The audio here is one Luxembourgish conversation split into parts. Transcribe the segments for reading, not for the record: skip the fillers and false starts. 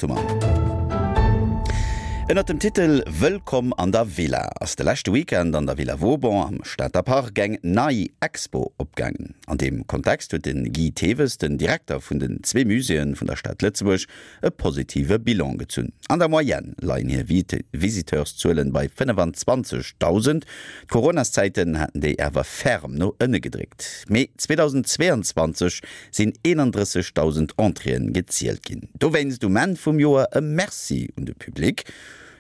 Gemaat hu mer. Ënnert dem Titel Wëllkomm an der Villa ass de leschte Weekend an der Villa Vauban am Stater Park eng nei Expo opgaangen. An deem Kontext huet de Guy Thewes, den Direkter vun den zwee Muséeë vun der Stad Lëtzebuerg, e positive Bilan gezunn. An der Moyenne leien hir Visiteurszuelen bei 25.000. D'Coronaszäiten haten déi awer ferm no ënne gedréckt. Mee 2022 sinn 31.000 Entréeën gezielt ginn. Dowéinst um Enn vum Joer e Merci un de Public.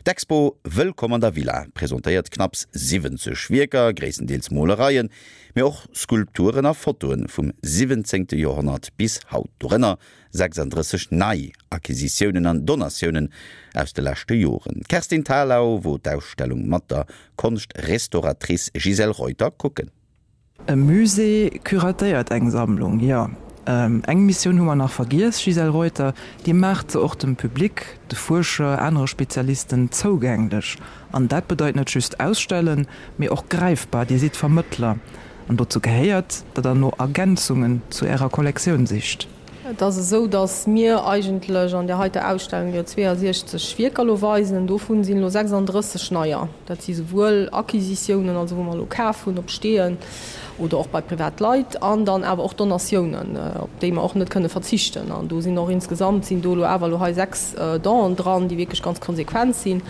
D'Expo Wëllkomm an der Villa presentéiert knapps 70 Wierker, gréisstendeels Molereien, mee och Skulpturen a Fotoe vum 17. Joerhonnert bis haut. Dorënner 36 nei Acquisitiounen an Donatiounen aus de leschte Joren. D'Kerstin Thalau wor d'Ausstellung mat der Konscht-Restauratrice Gisèle Reuter kucken. E Musée curatéiert eng Sammlung, jo. Eng Missioun hu mer nach vergiess, Gisèle Reuter, Dir maacht se och dem Public, de Fuerscher, anere Spezialisten zougänglech. An dat bedeit net just ausstellen, mee och gräifbar. Dir sidd Vermëttler. An dozou gehéiert, datt Der no Ergänzungen zu Ärer Kollektioun sicht. Et ass esou, datt mir eigentlech an där heiter Ausstellung jo 62 Wierker elo weisen. Dovun sinn elo 36 neier. Dat si souwuel Acquisitiounen, also wou mer elo kaf hunn op Steeën oder och bei privat Leit, an dann awer och Donatiounen, op déi mer och net kënne verzichten. An do sinn och insgesamt sinn do elo awer elo hei 6 Donen dran, déi wierklech ganz konsequent sinn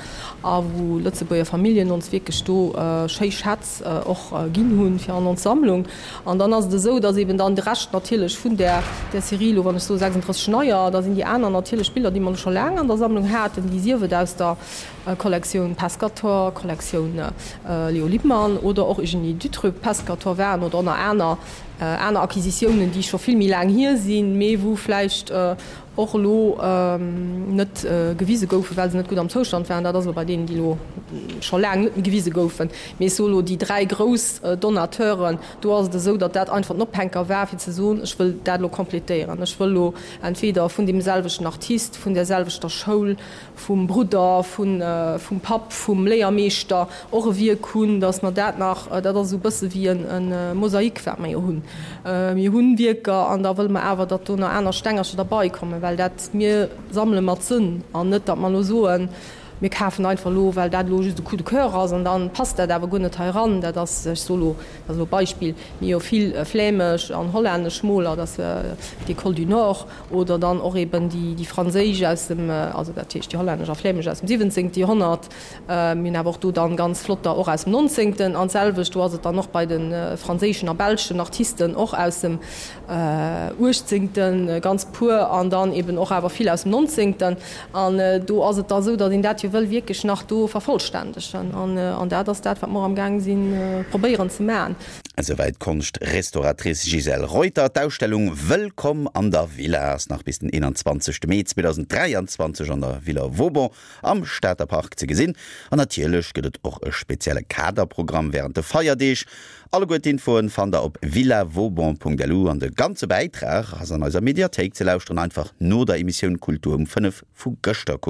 a wou Lëtzebuerger Familljen ons wierklech do schéi Schätz och ginn hunn fir an ons Sammlung. An dann ass et esou, dass eben dann de Rescht natierlech vun där, där Serie elo, wann ech soe 36 neier, da sinn déi aner natierlech Biller, déi mer elo scho laang an der Sammlung haten, déi sief et aus der Kollektioun Pescator, Kollektioun Léo Lippmann oder och Eugénie Dutreux-Pescator waren oder och nach aner, aner Acquisitiounen, déi scho vill méi laang hier sinn, mee wou vläicht och elo net gewise goufen, well se net gutt am Zoustand waren. Dat ass elo bei deenen, déi elo scho laang net méi gewise goufen. Mee ech soe elo, déi dräi grouss Donateuren, do ass et esou, datt dat einfach den Ophänker war, fir ze soen, ech wëll dat elo completéieren. Ech wëll elo entweder vun deem selwechten Artist, vun där selwechter Schoul, vum Brudder, vum Papp, vum Léiermeeschter och e Wierk hunn, datt mer dat nach, dat ass esou e bësse wéi e Mosaik, wat mer jo hunn. Mir hunn Wierker an da wëlle mer awer, datt do nach aner Stengercher derbei kommen, well dat, mir sammele mat Sënn an net, datt mer elo soen, mir kafen einfach elo, well dat elo just e Coup de coeur ass an da passt dat awer guer net hei eran. Dat ass, ech soe lo, dat ass elo e Beispill, mir hu jo vill flämesch an hollännesch Moler, dat ass d'École du Nord, Oder dann och eben déi franséisch aus dem, also dat heescht déi hollännesch a flämesch aus dem siwwenzéngte Joerhonnert. Mir hunn awer och do dann ganz flotter och aus dem nonzéngten. An d'selwecht do ass et dann och bei de franséischen a belschen Artisten och aus dem uechtzéngten, ganz puer, an dann eben och awer vill aus dem nonzéngten. An do ass et da esou, datt een dat jo wëll wierklech nach do vervollständegen. An dat ass dat, wat mer och amgaang sinn probéieren ze maachen. Esouwäit d'Konscht-Restauratrice Gisèle Reuter. D'Ausstellung Wëllkomm an der Villa ass nach bis den 21 Mee 2023 an der Villa Vauban am Stater Park ze gesinn. An natierlech gëtt et och e spezielle Kaderprogramm wärend de Feierdeeg. Alleguer d'Infoen fannt der op villavauban.lu an de ganze Bäitrag ass an eiser Mediathéik ze lauschteren. Einfach no der Emissioun Kultur um 5 vu gëschter kucken.